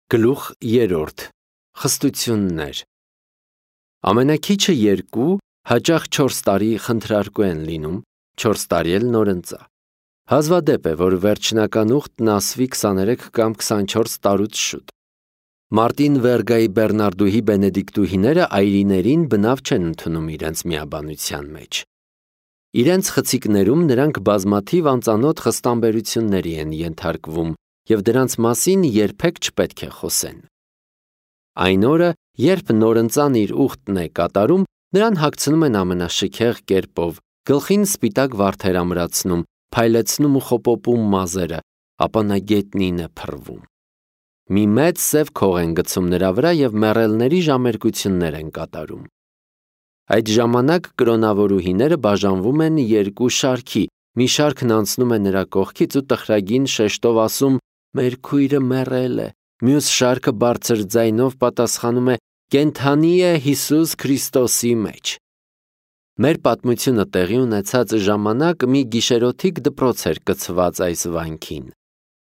Գլուխ 3. Խստություններ Ամենաքիչը 2, հաճախ 4 տարի խնդրարկու են լինում, 4 տարի էլ նորընծա։ Հազվադեպ է, որ վերջնական ուխտն ասվի 23 կամ 24 տարուց շուտ։ Մարտին Վերգայի Բեռնարդուհի Բենեդիկտուհիները այրիներին բնավ չեն ընդունում իրենց միաբանության մեջ։ Իրենց խցիկներում նրանք բազմաթիվ անծանոթ խստամբերությունների են ենթարկվում և դրանց մասին երբեք չպետք է խոսեն։ Այն օրը, երբ նորընծան իր ուխտն է կատարում, նրան հագցնում են ամենաշքեղ կերպով, գլխին սպիտակ վարդեր ամրացնում, փայլեցնում ու խոպոպում մազերը, ապա նա գետնին է փռվում։ Մի մեծ սև քող են գցում նրա վրա և մեռելների ժամերկություններ են կատարում։ Այդ ժամանակ կրոնավորուհիները բաժանվում են երկու շարքի, մի շարքն անցնում է նրա կողքից ու տխրագին շեշտով ասում «Մեր քույրը մեռել է», մյուս շարքը բարձր ձայնով պատասխանում է «Կենդանի է Հիսուս Քրիստոսի մեջ»։ Մեր պատմությունը տեղի ունեցած ժամանակ մի գիշերօթիկ դպրոց էր կցված այս վանքին։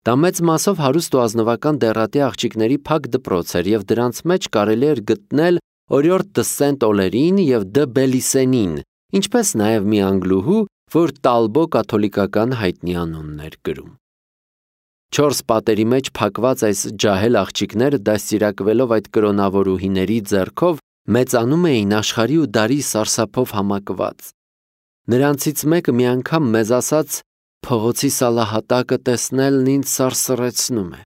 Դա մեծ մասով հարուստ ու ազնվական դեռատի աղջիկների փակ դպրոց էր և դրանց մեջ կարելի էր գտնել Օրիորդ դը Սենտ Օլերին և դը Բելիսենին, ինչպես նաև մի անգլուհու, որ Տալբո կաթոլիկական հայտնի անունն էր կրում։ 4 պատերի մեջ փակված այս ջահել աղջիկները դաստիարակվելով այդ կրոնավորուհիների ձեռքով մեծանում էին աշխարհի ու դարի սարսափով համակված։ Նրանցից մեկը մի անգամ մեզ ասաց. «Փողոցի սալահատակը տեսնելն ինձ սարսռեցնում է»։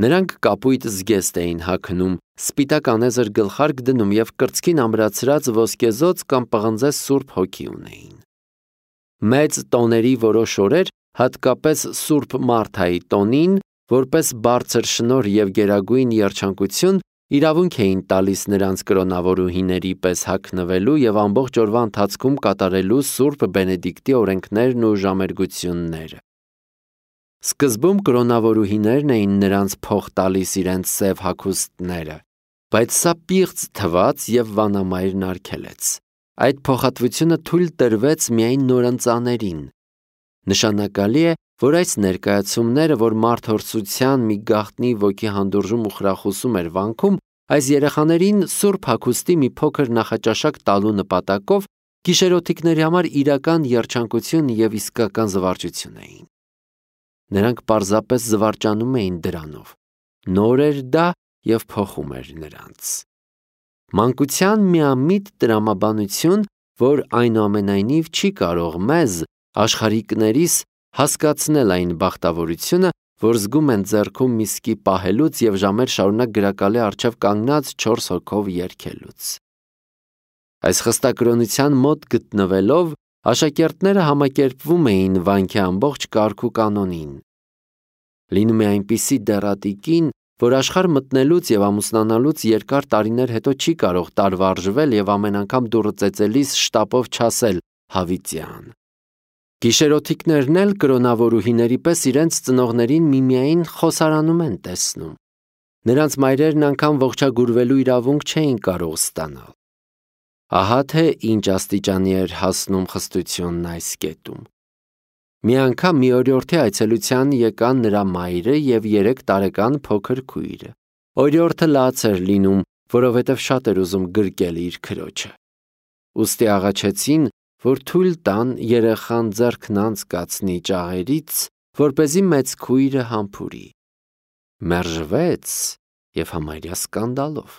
Նրանք կապույտ զգեստ էին հագնում, սպիտակ անեզր գլխարկ դնում և կրծքին ամրացրած ոսկեզոծ կամ պղնձե սուրբ հոգի ունեին։ Մեծ տոների որոշ օրեր, հատկապես Սուրբ Մարթայի տոնին, որպես բարձր շնորհ և գերագույն երջանկություն, իրավունք էին տալիս նրանց կրոնավորուհիների պես հագնվելու և ամբողջ օրվա ընթացքում կատարելու Սուրբ Բենեդիկտի օրենքներն ու ժամերգությունները։ Սկզբում կրոնավորուհիներն էին նրանց փող տալիս իրենց սև հագուստները, բայց սա պիղծ թվաց և վանամայրն արգելեց։ Այդ փոխհատվությունը թույլ տրվեց միայն նորընծաներին։ Նշանակալի է, որ այս ներկայացումները, որ մարդհորսության մի գաղտնի ոգի հանդուրժում ու խրախուսում էր վանքում, այս երեխաներին սուրբ հագուստի մի փոքր նախաճաշակ տալու նպատակով գիշերօթիկների համար իրական երջանկություն և իսկական զվարճություն էին։ Նրանք պարզապես զվարճանում էին դրանով։ Նոր էր դա և փոխում էր նրանց։ Մանկության միամիտ տրամաբանություն, որ այնուամենայնիվ չի կարող մեզ, աշխարհիկներիս, հասկացնել այն բախտավորությունը, որ զգում են ձեռքում միսկի պահելուց և ժամեր շարունակ գրակալի առջև կանգնած 4 հոգով երգելուց։ Այս խստակրոնության մոտ գտնվելով, աշակերտները համակերպվում էին վանքի ամբողջ կարգ ու կանոնին։ Լինում է այնպիսի դեռատի կին, որ աշխարհ մտնելուց և ամուսնանալուց երկար տարիներ հետո չի կարող տարվարժվել և ամեն անգամ դուռը ծեծելիս շտապով չասել «Հավիտյան»։ Գիշերօթիկներն էլ կրոնավորուհիների պես իրենց ծնողներին միմիային խոսարանում են տեսնում։ Նրանց մայրերն անգամ ողջագուրվելու իրավունք չէին կարող ստանալ։ Ահա թե ինչ աստիճանի էր հասնում խստությունն այս կետում։ Մի անգամ մի օրիորդի այցելության եկան նրա մայրը և 3 տարեկան փոքր քույրը։ Օրիորդը լաց էր լինում, որովհետև շատ էր ուզում գրկել իր քրոջը։ Ուստի աղաչեցին, որ թույլ տան երեխան ձեռքն անցկացնի ճաղերից, որպեսզի մեծ քույրը համբուրի։ Մերժվեց և համարյա սկանդալով։